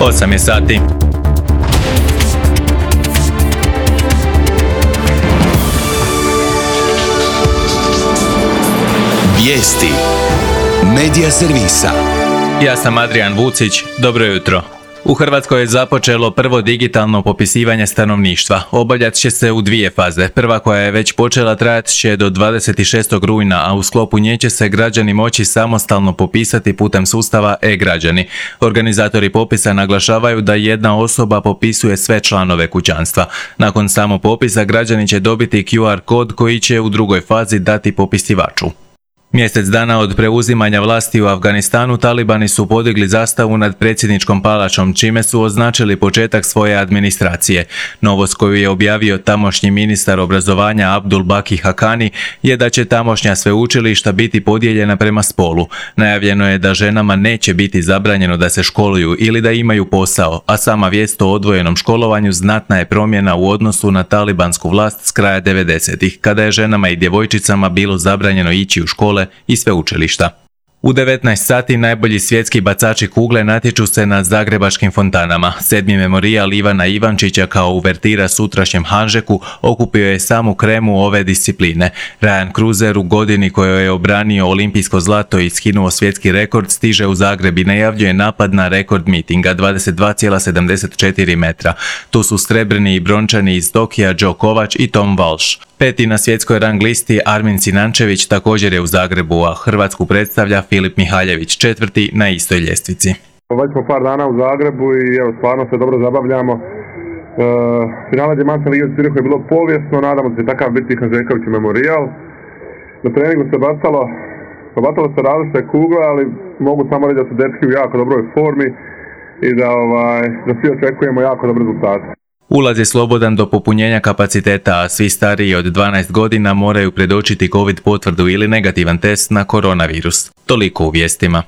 8 je sati. Vijesti Medija servisa. Ja sam Adrian Vucić, dobro jutro. U Hrvatskoj je započelo prvo digitalno popisivanje stanovništva. Obavljat će se u dvije faze. Prva, koja je već počela, trajat će do 26. rujna, a u sklopu nje će se građani moći samostalno popisati putem sustava e-građani. Organizatori popisa naglašavaju da jedna osoba popisuje sve članove kućanstva. Nakon samopopisa građani će dobiti QR kod koji će u drugoj fazi dati popisivaču. Mjesec dana od preuzimanja vlasti u Afganistanu talibani su podigli zastavu nad predsjedničkom palačom, čime su označili početak svoje administracije. Novost koju je objavio tamošnji ministar obrazovanja Abdul Baki Hakani je da će tamošnja sveučilišta biti podijeljena prema spolu. Najavljeno je da ženama neće biti zabranjeno da se školuju ili da imaju posao, a sama vijest o odvojenom školovanju znatna je promjena u odnosu na talibansku vlast s kraja 90-ih, kada je ženama i djevojčicama bilo zabranjeno ići u škole i sveučilišta. U 19 sati najbolji svjetski bacači kugle natječu se na zagrebačkim fontanama. 7. memorijal Ivana Ivančića kao uvertira sutrašnjem Hanžeku okupio je samu kremu ove discipline. Ryan Cruiser u godini kojoj je obranio olimpijsko zlato i skinuo svjetski rekord stiže u Zagreb i najavljuje napad na rekord mitinga 22,74 metra. Tu su srebrni i brončani iz Tokija Joe Kovač i Tom Walsh. Peti na svjetskoj rang listi Armin Sinančević također je u Zagrebu, a Hrvatsku predstavlja Filip Mihaljević, četvrti na istoj ljestvici. Već smo par dana u Zagrebu i evo, stvarno se dobro zabavljamo. Finale Djemanske lige u Zürichu je bilo povijesno, nadamo se takav biti Hanžeković memorijal. Na treningu se bacalo se različite kugle, ali mogu samo reći da su dečki u jako dobroj formi i da svi očekujemo jako dobre rezultate. Ulaz je slobodan do popunjenja kapaciteta, a svi stariji od 12 godina moraju predočiti COVID potvrdu ili negativan test na koronavirus. Toliko u vijestima.